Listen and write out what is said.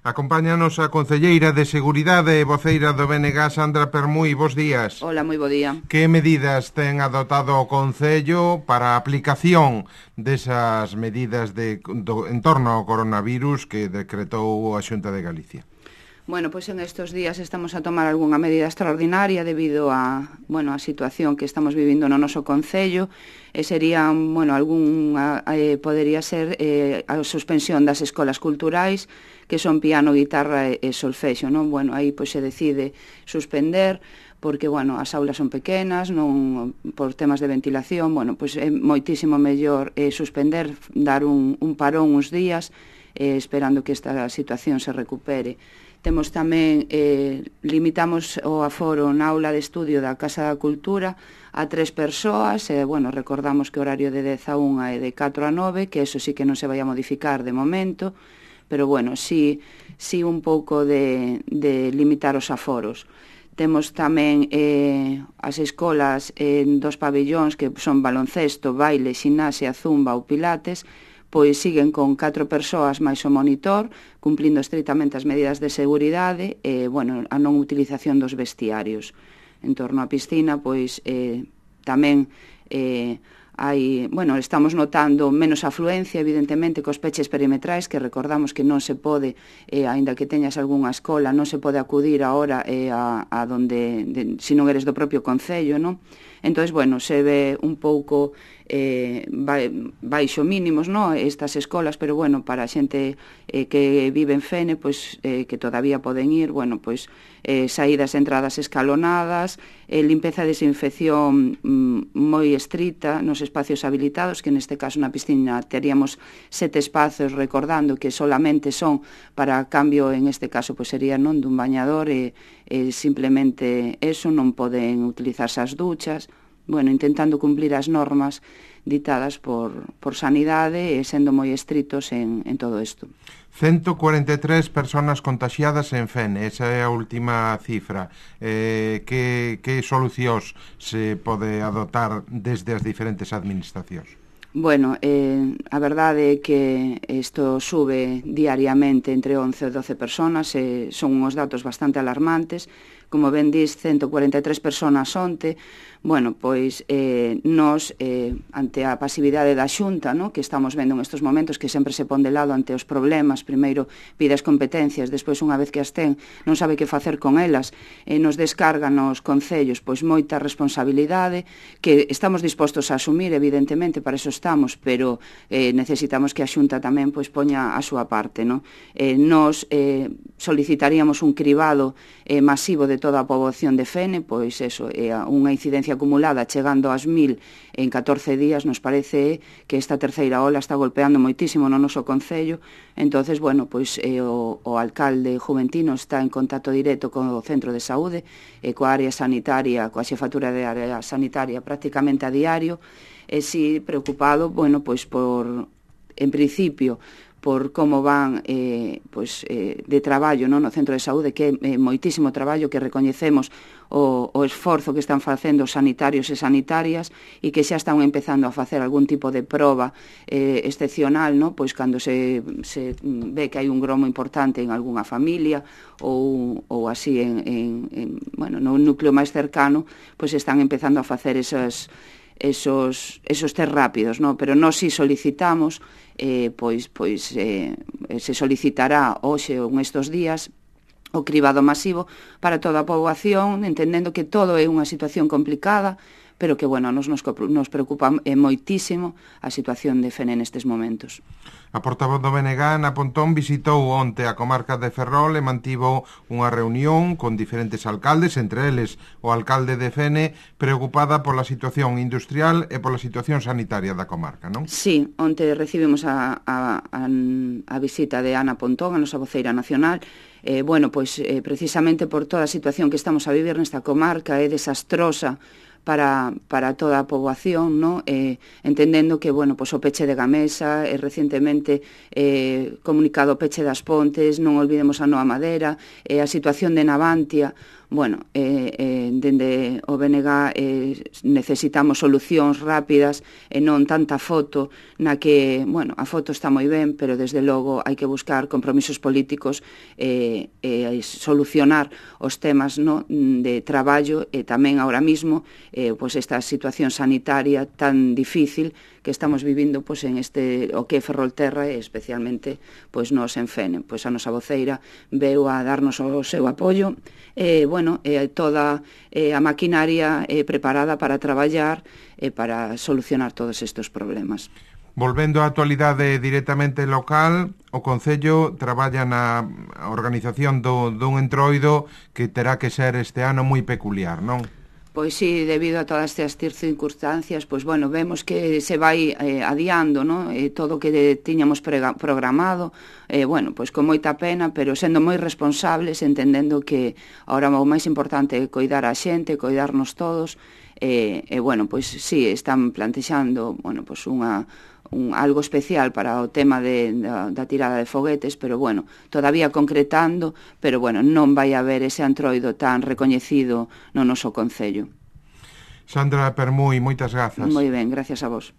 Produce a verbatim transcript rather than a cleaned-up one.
Acompáñanos a concelleira de Seguridade e voceira do B N G, Sandra Permui. Bos días. Hola, moi bo día. Que medidas ten adoptado o Concello para a aplicación desas medidas de, do, en torno ao coronavirus que decretou a Xunta de Galicia? Bueno, pois en estes días estamos a tomar algunha medida extraordinaria debido a, bueno, a situación que estamos vivindo no noso Concello, e sería, bueno, algún, eh, podería ser eh, a suspensión das escolas culturais, que son piano, guitarra e, e solfexo, non? Bueno, aí pois se decide suspender, porque, bueno, as aulas son pequenas, non por temas de ventilación, bueno, pois é moitísimo mellor eh, suspender, dar un, un parón uns días, eh, esperando que esta situación se recupere. Temos tamén, eh, limitamos o aforo na aula de estudio da Casa da Cultura a tres persoas, e, bueno, recordamos que o horario de dez a unha e de catro a nove, que eso sí que non se vai a modificar de momento, pero, bueno, sí, sí un pouco de, de limitar os aforos. Temos tamén eh, as escolas en dos pabellóns que son baloncesto, baile, ximnasia, zumba ou pilates, pois siguen con catro persoas máis o monitor, cumplindo estritamente as medidas de seguridade e, bueno, a non utilización dos vestiarios. En torno á piscina, pois, eh, tamén eh, hai, bueno, estamos notando menos afluencia, evidentemente, cos peches perimetrais, que recordamos que non se pode, eh, aínda que teñas algunha escola, non se pode acudir agora eh, a, a donde, de, se non eres do propio Concello, non? Entón, bueno, se ve un pouco eh, baixo mínimos, no, estas escolas, pero, bueno, para a xente eh, que vive en Fene, pois, eh, que todavía poden ir, bueno, pois, eh, saídas e entradas escalonadas, eh, limpeza e desinfección mm, moi estrita nos espacios habilitados, que neste caso na piscina teríamos sete espazos, recordando que solamente son para cambio, en este caso, pois sería non dun bañador, e eh, simplemente eso, non poden utilizarse as duchas, bueno, intentando cumplir as normas ditadas por, por sanidade e sendo moi estritos en, en todo isto. ciento cuarenta e tres personas contaxiadas en Fene, esa é a última cifra. Eh, que, que solucións se pode adoptar desde as diferentes administracións? Bueno, eh, a verdade é que isto sube diariamente entre once e doce personas, e son uns datos bastante alarmantes. Como ben dis, ciento cuarenta e tres personas onte. Bueno, pois eh, nos, eh, ante a pasividade da Xunta, no, que estamos vendo en estes momentos, que sempre se pon de lado ante os problemas, primeiro pide as competencias, despois, unha vez que as ten, non sabe que facer con elas, e nos descarga nos concellos pois moita responsabilidade, que estamos dispostos a asumir, evidentemente, para eso estamos, pero eh, necesitamos que a Xunta tamén pois poña a súa parte, no? Eh, nos eh, solicitaríamos un cribado eh, masivo de toda a poboación de Fene, pois eso, é eh, unha incidencia acumulada chegando ás mil en catorce días. Nos parece que esta terceira ola está golpeando moitísimo no noso Concello. Entonces, bueno, pois eh, o, o alcalde Juventino está en contacto directo con o centro de saúde e coa área sanitaria, coa xefatura de área sanitaria prácticamente a diario, e si preocupado, bueno, pois por, en principio, por como van eh, pois, eh, de traballo, non, no centro de saúde, que é eh, moitísimo traballo, que recoñecemos o, o esforzo que están facendo os sanitarios e sanitarias, e que xa están empezando a facer algún tipo de proba eh, excepcional, non, pois cando se, se ve que hai un gromo importante en algunha familia ou, ou así en, en, en, bueno, no núcleo máis cercano, pois están empezando a facer esas esos, esos test rápidos, no? Pero nós si solicitamos, eh, pois, pois eh, se solicitará hoxe ou nestes días o cribado masivo para toda a poboación, entendendo que todo é unha situación complicada, pero que, bueno, nos, nos, nos preocupa eh, moitísimo a situación de Fene nestes momentos. A portavoz do B N G, Ana Pontón, visitou onte a comarca de Ferrol e mantivo unha reunión con diferentes alcaldes, entre eles o alcalde de Fene, preocupada pola situación industrial e pola situación sanitaria da comarca, non? Sí, onte recibimos a, a, a, a visita de Ana Pontón, a nosa voceira nacional. Eh, bueno, pois eh, precisamente por toda a situación que estamos a vivir nesta comarca, é desastrosa para, para toda a poboación, ¿no? Eh, entendendo que, bueno, pues o peche de Gamesa, e eh, recientemente eh, comunicado o peche das Pontes, non olvidemos a Noa Madera, eh, a situación de Navantia. bueno, eh, eh, dende o B N G eh, necesitamos solucións rápidas e non tanta foto na que, bueno, a foto está moi ben, pero desde logo hai que buscar compromisos políticos e eh, eh, solucionar os temas, no, de traballo e tamén ahora mismo eh, pues esta situación sanitaria tan difícil que estamos vivindo pues, en este o que é Ferrolterra e especialmente pues, nos en Fene. Pois a nosa voceira veu a darnos o seu apoio e, bueno, eh, toda eh, a maquinaria eh, preparada para traballar e eh, para solucionar todos estes problemas. Volvendo á actualidade directamente local, o Concello traballa na organización do, dun entroido que terá que ser este ano moi peculiar, non? Pois sí, debido a todas estas circunstancias, pois bueno, vemos que se vai eh, adiando, ¿no? eh, todo o que tiñamos prega, programado, eh, bueno, pois con moita pena, pero sendo moi responsables, entendendo que ahora o máis importante é coidar a xente, coidarnos todos, e, eh, eh, bueno, pois sí, están plantexando, bueno, pois unha un, algo especial para o tema de, da, da tirada de foguetes, pero bueno, todavía concretando, pero bueno, non vai haber ese antroido tan recoñecido no noso Concello. Sandra Permui, moitas grazas. Moi ben, gracias a vos.